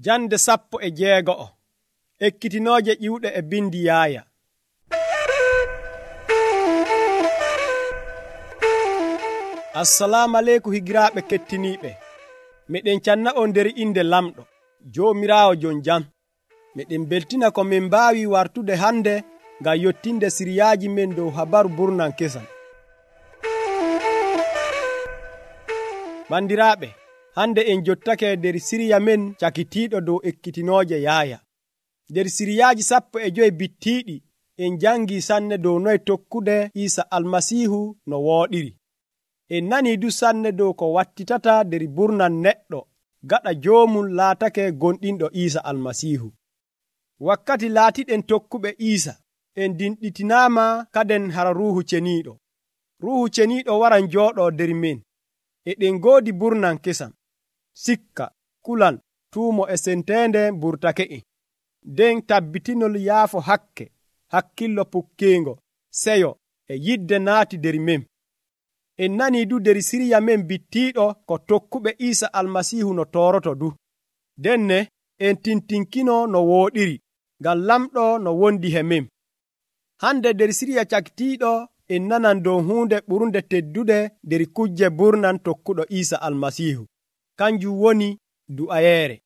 Jande 16 ekkitinooje ƴiwɗe e bindi Yaaya. Assalamu aleykum higiraaɓe kettiniiɓe. Miɗen canna on nder inde lamɗo Joomiraawo jon jam. Miɗen beltina ko min mbaawi wartude hande ngam yottinde siriyaaji men dow habaru burnan kesam. Bandiraaɓe, hande en jottake nder siriya men cakitiiɗo dow ekkitinooje Yaaya. Nder siriyaaji 15 bittiiɗi en jangi sanne dow noye tokkude Iisa Almasiihu no wooɗiri. En nanii du sanne dow ko wattitata nder burnan neɗɗo gaɗa joomum laatake gonɗinɗo Iisa Almasiihu. Wakkati laatiɗen tokkuɓe Iisa en dinɗitinaama kaden hara Ruuhu Ceniiɗo. Ruuhu Ceniiɗo waran jooɗoo nder men. Eɗen ngoodi burnan kesam, sikka, kulal, tuumo e senteende burtake'en. Nden tabbitinol yaafo hakke, hakkillo pukkeengo, seyo e yidde naati nder men. En nanii du nder siriya men bittiiɗo ko tokkuɓe Iisa Almasiihu no tooroto du. Denne en tintinkino no wooɗiri, ngam lamɗo no wondi he men. Hande nder siriya cakitiiɗo en nanan dow huunde ɓurnde teddude nder kujje burnan tokkuɗo Iisa Almasiihu. Kanjum woni du'ayeere.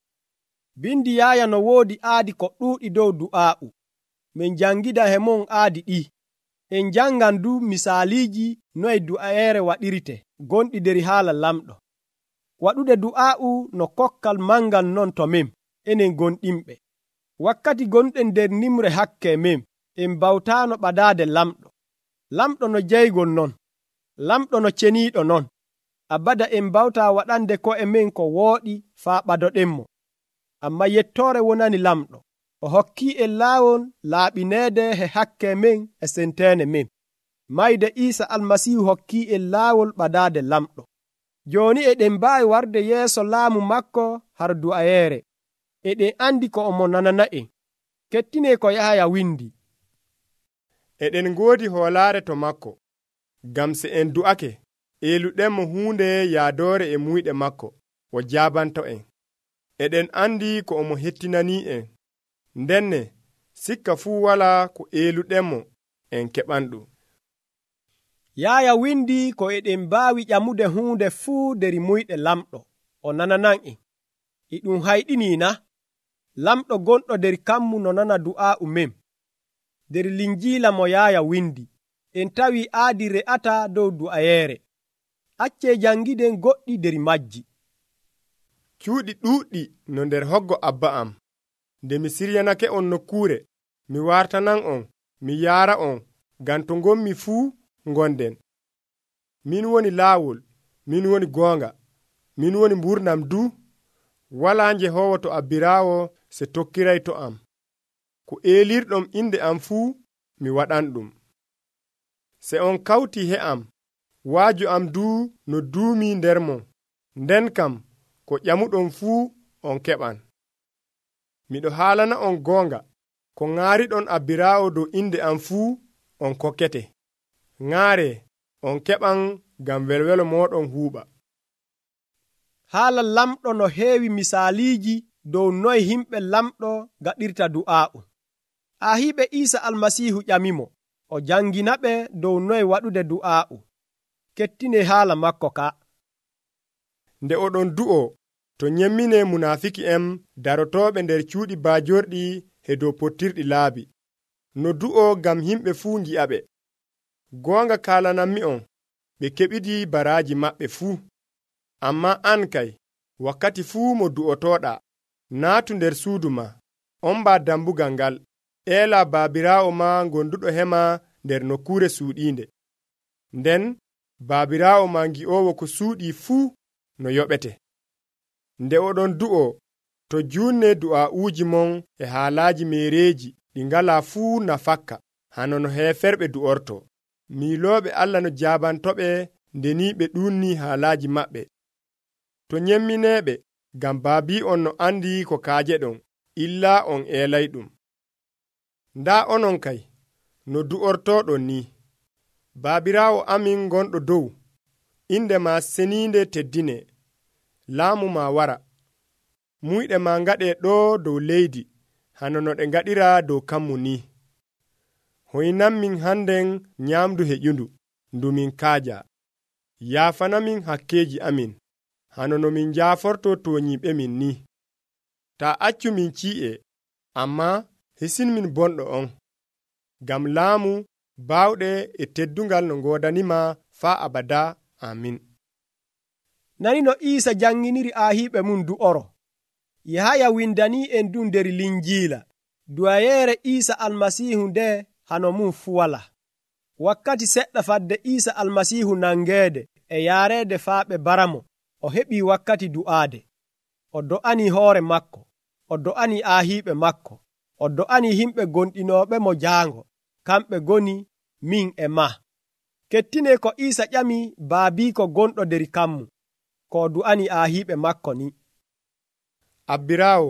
Bindi Yaaya no woodi aadi ko ɗuuɗi dow du'aa'u. Min jangida he mon aadi ɗi. En jangan du misaaliiji noye du'ayeere waɗirte gonɗi nder haala lamɗo. Waɗude du'aa'u no kokkal mangal non to men, enen gonɗinɓe. Wakkati gonɗen nder nimre hakke men, en bawtaano ɓadaade lamɗo. Lamɗo no jeygol non, lamɗo no ceniiɗo non. Abada en bawtaa waɗande ko'e men ko wooɗi faa ɓadoɗenmo. Amma yettoore wonani lamɗo. O hokkii en laawol laaɓineede he hakke men e senteene men. Mayde Iisa Almasiihu hokkii en laawol ɓadaade lamɗo. Jooni eɗen mbaawi warde yeeso laamu makko har du'ayeere. Eɗen andi ko omo nanana'en. Kettinee ko Yahaya windi. Eɗen ngoodi hoolaare to makko, ngam se en du'ake, eeluɗenmo huunde yaadoore e muyɗe makko, o jaabanto en. Eɗen andi ko omo hettinanii en. Ndenne sikka fuu walaa ko eeluɗenmo en keɓanɗum. Yaaya windi ko eɗen mbaawi ƴamude huunde fuu nder muyɗe lamɗo, o nananan en. E ɗum hayɗinii na? Lamɗo gonɗo nder kammu no nana du'aa'u men. Nder linjiila mo Yaaya windi, en tawi aadi re'ata dow du'ayeere. Accee jangiden goɗɗi nder majji. Cuuɗi ɗuuɗɗi no nder hoggo Abba am. Nde mi siryanake on nokkuure, mi wartanan on, mi yaara on, ngam to ngonmi fuu ngonden. Min woni laawol, min woni goonga, min woni mburnam du. Walaa Jehoowo to abbiraawo se tokkiray to am. Ko eelirɗom inde am fuu mi waɗan ɗum. Se on kawti he am, waaju am du no duumi nder mon, nden kam ko ƴamuɗon fuu on keɓan. Miɗo haalana on goonga, ko ŋaariɗon abbiraawo dow inde am fuu on kokkete. Ŋaare on keɓan ngam welwelo mooɗon huuɓa. Haala lamɗo no heewi misaaliiji dow noye himɓe lamɗo gaɗirta du'aa'u. Ahiiɓe Iisa Almasiihu ƴamimo, o janginaɓe dow noye waɗude du'aa'u. Kettine haala makko ka. Nde oɗon du'o, to nyemmine munaafiki en darotooɓe nder cuuɗi baajorɗi he dow pottirɗi laabi. No du'o ngam himɓe fuu ngi'aɓe. Goonga kaalanammi on, ɓe keɓidi baraaji maɓɓe fuu. Amma an kay, wakkati fuu mo du'otooɗa, naatu nder suudu ma, omba dambugal ngal, eela baabiraawo ma gonduɗo hema nder nokkuure suuɗiinde. Nden baabiraawo ma ngi'owo ko suuɗii fuu no yoɓete. Nde oɗon du'o, to juunne du'aa'uuji mon e haalaaji meereeji ɗi ngalaa fuu nafakka, hano no heeferɓe du'orto. Miilooɓe Allah no jaabantoɓe ndeni ɓe ɗuunnii haalaaji maɓɓe. To nyemmineeɓe, ngam baabii on no andi ko kaajeɗon, illaa on eelayɗum. Ndaa onon kay, no du'ortooɗon ni. Baabiraawo amin gonɗo dow, inde ma seniinde teddine. Laamu ma wara. muyɗe ma ngaɗe ɗo dow leydi hano no ɗe ngaɗira dow kammu ni. Hoynanmin hannden nyaamdu heƴundu ndu min kaaja. Yaafanamin hakkeeji amin hano no min jaaforto tooñiiɓe min ni. Taa accu min cii'e, ammaa hisinmin bonɗo on, ngam laamu baawɗe e teddungal no ngoodanima faa abada. Amin. Nani no Iisa janginiri aahiiɓe mum du'oro. Yahaya windanii en ɗum nder Linjiila. Du'ayeere Iisa Almasiihu nde hano mum fu wala. Wakkati seɗɗa fadde Iisa Almasiihu nangeede e yaareede faa ɓe baramo, o heɓii wakkati du'aade. O do'anii hoore makko, o do'anii aahiiɓe makko, o do'anii himɓe gonɗinooɓe mo jaango, kamɓe goni min e maa. Kettinee ko Iisa ƴami baabiiko gonɗo nder kammu, ko o du'anii aahiiɓe makko ni. Abbiraawo,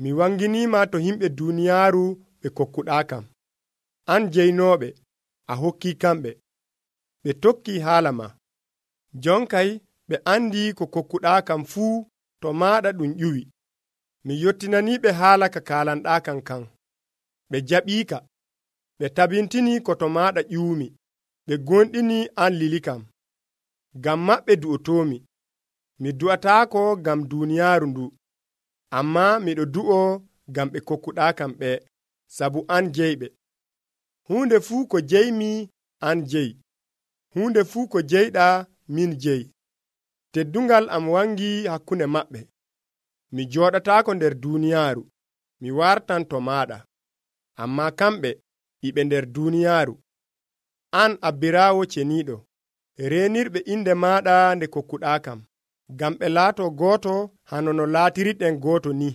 mi wanginiima to himɓe duuniyaaru ɓe kokkuɗaa kam. An jeynooɓe, a hokkii kamɓe. Ɓe tokkii haala ma. Jonkay ɓe andi ko kokkuɗaa kam fuu to maaɗa ɗum ƴuwi. Mi yottinaniiɓe haala ka kaalanɗaa kam kan. Ɓe jaɓiika. Ɓe tabintini ko to maaɗa ƴuwmi. Ɓe gonɗini an lili kam. Ngam maɓɓe du'otoomi. Mi du'ataako ngam duuniyaaru ndu. Ammaa miɗo du'o ngam ɓe kokkuɗaa kam ɓe, sabu an jeyɓe. Huunde fuu ko jeymi an jeyi. Huunde fuu ko jeyɗaa min jeyi. Teddungal am wangi hakkunde maɓɓe. Mi jooɗataako nder duuniyaaru. Mi wartan to maaɗa. Ammaa kamɓe iɓe nder duuniyaaru. An abbiraawo ceniiɗo, reenirɓe inde maaɗa nde kokkuɗaa kam, ngam ɓe laato gooto hano no laatiriɗen gooto ni.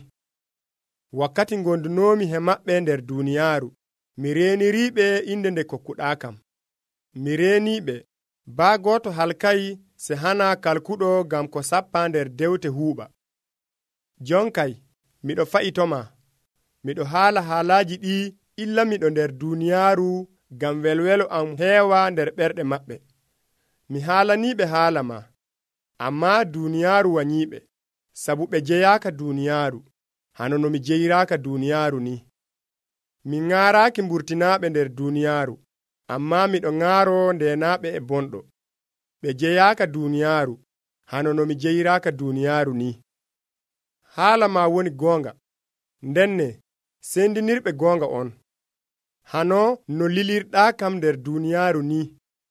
Wakkati gondunoomi he maɓɓe nder duuniyaaru, mi reeniriiɓe inde nde kokkuɗaa kam. Mi reeniiɓe, baa gooto halkayi se hana kalkuɗo ngam ko sappaa nder dewte huuɓa. Jonkay, miɗo fa'itoma. Miɗo haala haalaaji ɗi illamiɗo nder duuniyaaru ngam welwelo am heewa nder ɓerɗe maɓɓe. Mi haalaniiɓe haala ma, ammaa duuniyaaru wanyiiɓe, sabu ɓe jeyaaka duuniyaaru, hano no mi jeyiraaka duuniyaaru ni. Mi ŋaaraaki mburtinaaɓe nder duuniyaaru, ammaa miɗo ŋaaro ndeenaaɓe e bonɗo. Ɓe jeyaaka duuniyaaru, hano no mi jeyiraaka duuniyaaru ni. Haala ma woni goonga, ndenne sendinirɓe goonga on. Hano no lilirɗaa kam nder duuniyaaru ni,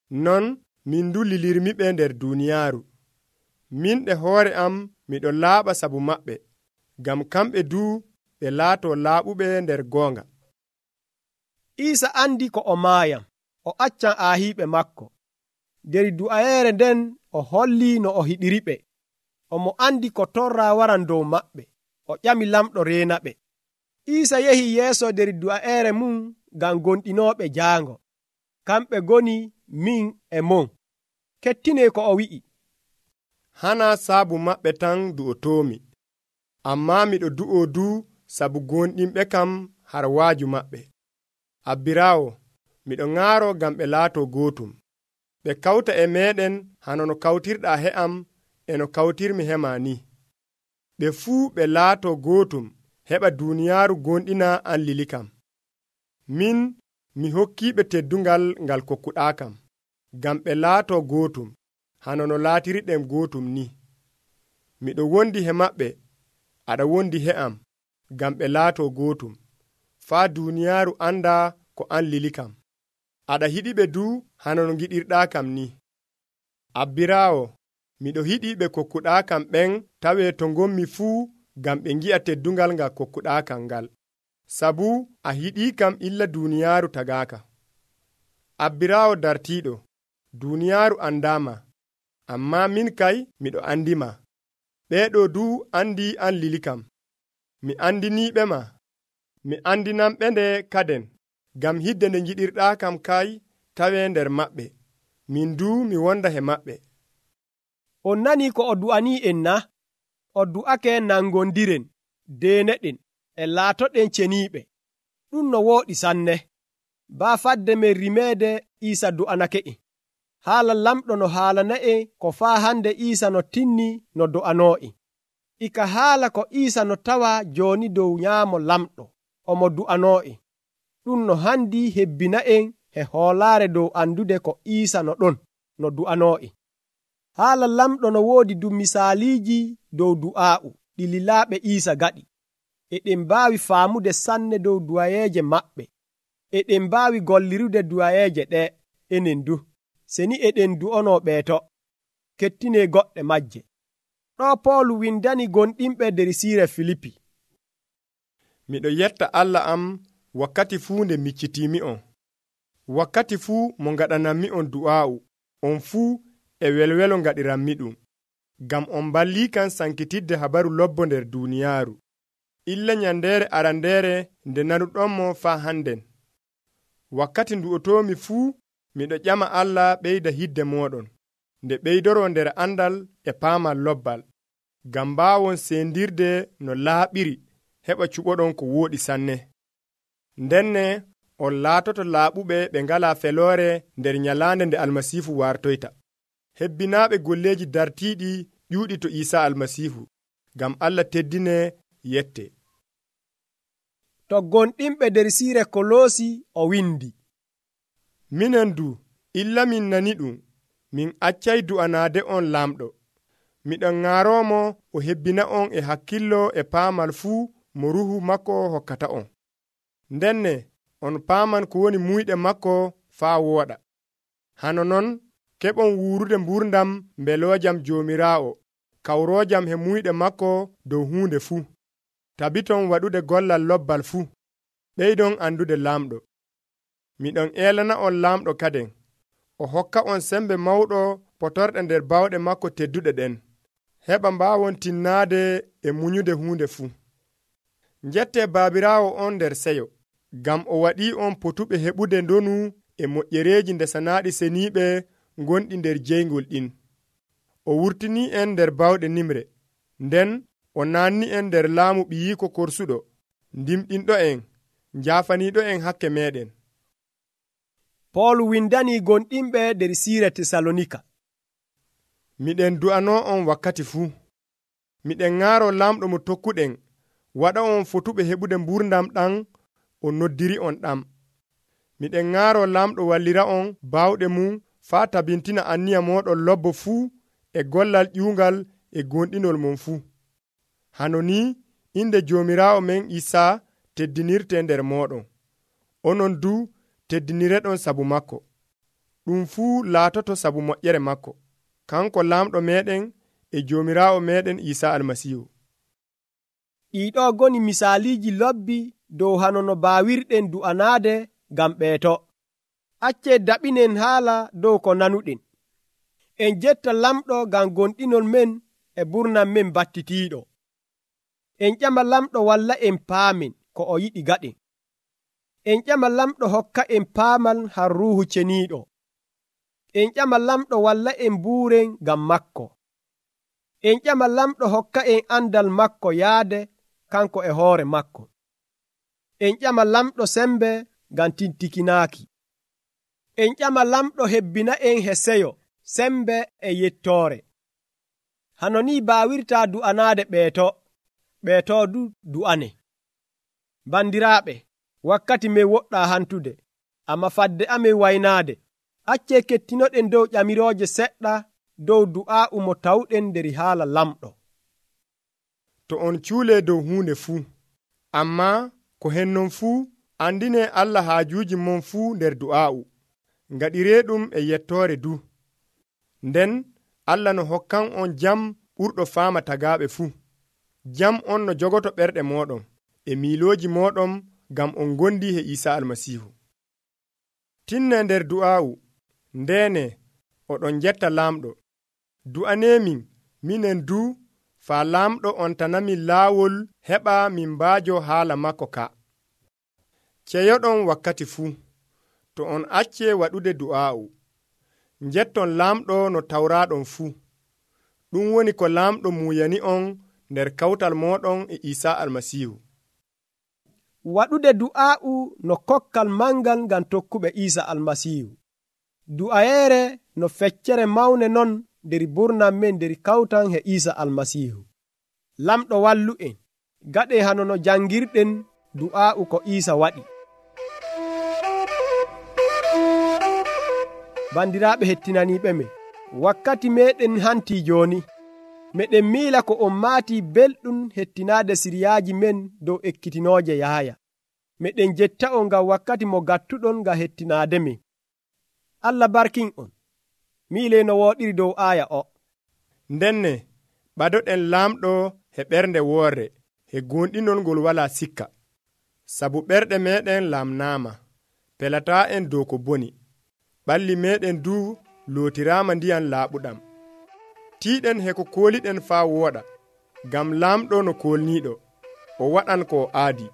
non min du lilirmiɓe nder duuniyaaru. Min ɗe hoore am miɗo laaɓa sabu maɓɓe, ngam kamɓe du ɓe laato laaɓuɓe nder goonga. Iisa andi ko o maayam, o accan aahiiɓe makko. Nder du'ayeere nden o holli no o hiɗiriɓe. Omo andi ko torra waran dow maɓɓe. O ƴami lamɗo reenaɓe. Iisa yehi yeeso nder du'ayeere mum ngam gonɗinooɓe jaango. Kamɓe goni min e mon. Kettinee ko o wi'i. Hana saabu maɓɓe tan du'otoomi. Ammaa miɗo du'o du sabu gonɗinɓe kam har waaju maɓɓe. Abbiraawo, miɗo ŋaaro ngam ɓe laato gootum. Ɓe kawta e meeɗen hano no kawtirɗaa he am e no kawtirmi he ma ni. Ɓe fuu ɓe laato gootum heɓa duuniyaaru gonɗina an lili kam. Min mi hokkiiɓe teddungal ngal kokkuɗaa kam, ngam ɓe laato gootum hano no laatiriɗen gootum ni. Miɗo wondi he maɓɓe, aɗa wondi he am, ngam ɓe laato gootum, faa duuniyaaru anda ko an lili kam. Aɗa hiɗiɓe du hano no giɗirɗaa kam ni. Abbiraawo, miɗo hiɗi ɓe kokkuɗaa kam ɓen tawee to ngommi fuu ngam ɓe ngi'a teddungal ngal kokkuɗaa kam ngal, sabu a hiɗii kam illa duuniyaaru tagaaka. Abbiraawo dartiiɗo, duuniyaaru andaama, ammaa min kay miɗo andima. Ɓeeɗo du andi an lili kam. Mi andiniiɓe ma. Mi andinanɓe nde kaden, ngam hidde nde ngiɗirɗaa kam kay tawee nder maɓɓe. Min du mi wonda he maɓɓe. On nani ko o du'anii en na? O du'ake nangondiren, deeneɗen, e laatoɗen ceniiɓe. Ɗum no wooɗi sanne. Baa fadde men rimeede Iisa du'anake'en. Haala lamɗo no haalana'en ko faa hande Iisa no tinni no do'anoo'en. ika haala ko Iisa no tawa jooni dow nyaamo lamɗo omo du'anoo'en. Ɗum no handi hebbina'en e hoolaare dow andude ko Iisa no ɗon no du'anoo'en. Haala lamɗo no woodi du misaaliiji dow du'aa'u ɗi lilaaɓe Iisa gaɗi. Eɗen mbaawi faamude sanne dow du'ayeeje maɓɓe. Eɗen mbaawi gollirude du'ayeeje ɗe enen du, seni eɗen du'onoo ɓeeto. Kettinee goɗɗe majje. Ɗo Poolu windani gonɗinɓe der siire Filipi. Miɗo yetta Allah am wakkati fuu nde miccitiimi'on. Wakkati fuu mo ngaɗanammi'on du'aa'u, on fuu e welwelo ngaɗiranmiɗum. Ngam on balliikam sankitidde habaru lobbo nder duuniyaaru. Illa nyandeere arandeere nde nanuɗonmo faa hannden. Wakkati ndu'otoomi fuu miɗo ƴama Allah ɓeyda hidde mooɗon, nde ɓeydoroo nder andal e paamal lobbal, ngam mbaawon sendirde no laaɓiri heɓa cuɓoɗon ko wooɗi sanne. Ndenne on laatoto laaɓuɓe ɓe ngalaa feloore nder nyalaande nde Almasiihu wartoyta. Hebbinaaɓe golleeji dartiiɗi ƴuuɗi to Iisaa Almasiihu, ngam Allah teddine yette. To gonɗinɓe der siire Koloosi o windi. Minen du, illa min nani ɗum, min accay du'anaade on lamɗo. Miɗon ŋaaroomo o hebbina on e hakkillo e paamal fuu mo ruhu makko hokkata on. Ndenne on paaman ko woni muyɗe makko faa wooɗa. Hano non keɓon wuurude mburdam mbeloojam Joomiraawo, kawroojam he muyɗe makko dow huunde fuu. Tabiton waɗude gollal lobbal fuu. Ɓeydon andude laamɗo. Miɗon eelana on laamɗo kaden. O hokka on sembe mawɗo potorɗe nder bawɗe makko tedduɗe ɗen, heɓa mbaawon tinnaade e muñude huunde fuu. Njette baabiraawo on nder seyo, ngam o waɗii on potuɓe heɓude ndonu e moƴƴereeji ndesanaaɗi seniiɓe gonɗi nder jeyngol ɗin. O wurtinii en nder bawɗe nimre, nden o naanni en nder laamu ɓiyiiko korsuɗo, ndimɗinɗo en, njaafaniiɗo en hakke meeɗen. Poolu windani gonɗinɓe der siire Tesalonika. Miɗen du'anoo on wakkati fuu. Miɗen ŋaaro lamɗo mo tokkuɗen waɗa on fotuɓe heɓude mburdam ɗam o noddiri on ɗam. Miɗen ŋaaro lamɗo wallira on baawɗe mum faa tabintina anniya mooɗon lobbo fuu e gollal ƴuungal e gonɗinol mon fuu. Hano ni inde Joomiraawo men Iisaa teddinirte nder mooɗon. Onon du teddinireɗon sabu makko. Ɗum fuu laatoto sabu moƴƴere makko. Kanko laamɗo meɗen e Joomiraawo meɗen Iisaa Almasiihu. Ɗiɗo goni misaaliiji lobbi dow hano no baawirɗen du'anaade ngam ɓeeto. Accee daɓinen haala dow ko nanuɗen. En jetta lamɗo ngam gonɗinol men e burnam men battitiiɗo. En ƴama lamɗo walla en paamen ko o yiɗi gaɗen. En ƴama lamɗo hokka en paamal har Ruuhu Ceniiɗo. En ƴama lamɗo walla en buuren ngam makko. En ƴama lamɗo hokka en andal makko yaade kanko e hoore makko. En ƴama lamɗo sembe ngam tintikinaaki. En ƴama lamɗo hebbina en he seyo, sembe e yettoore. Hano ni baawirtaa du'anaade ɓeeto du du'ane. Bandiraaɓe, wakkati men woɗɗaa hantude, amma fadde amen waynaade. Accee kettinoɗen dow ƴamirooje seɗɗa dow du'aa'u mo tawɗen nder haala lamɗo. To on cuulee dow huunde fuu, amma ko hennon fuu andine Allah haajuuji mon fuu nder du'aa'u. Ngaɗiree ɗum e yettoore du. Nden Allah no hokkan on jam ɓurɗo faama tagaaɓe fuu. Jam on no jogoto ɓerɗe mooɗon e miilooji mooɗon ngam on gondi he Iisaa Almasiihu. Tinne nder du'aa'u, ndeene oɗon jetta laamɗo. Du'aneemin minen du faa laamɗo on tanamin laawol heɓa min mbaajo haala makko ka. Ceyoɗon wakkati fuu, to on accee waɗude du'aa'u. Njetton laamɗo no tawraaɗon fuu. Ɗum woni ko laamɗo muuyani on nder kawtal mooɗon e Iisaa Almasiihu. Waɗude du'aa'u no kokkal mangal ngam tokkuɓe Iisaa Almasiihu. Du'ayeere no feccere mawne non nder burnam men nder kawtan he Iisaa Almasiihu. lamɗo wallu en gaɗe hano no jangirɗen du'a'u ko Iisa waɗi. Bandiraɓe hettinaniɓe men, wakkati meɗen hanti joni. Meɗen miila ko on maati belɗum hettinaade siriyaaji men dow ekkitinooje Yaaya. Meɗen jetta on ngam wakkati mo gattuɗon ngam hettinaade men. Allah barkin on. Miile no wooɗiri dow aaya o. Ndenne ɓadoɗen laamɗo he ɓernde woorre he gonɗinol ngol wala sikka. Sabu ɓerɗe meɗen laamnaama, pelataa en dow ko boni. Ɓalli meɗen du lootiraama ndiyam laaɓuɗam. Tiiɗen he ko kooliɗen faa wooɗa, ngam laamɗo no kolniiɗo, o waɗan ko o aadi.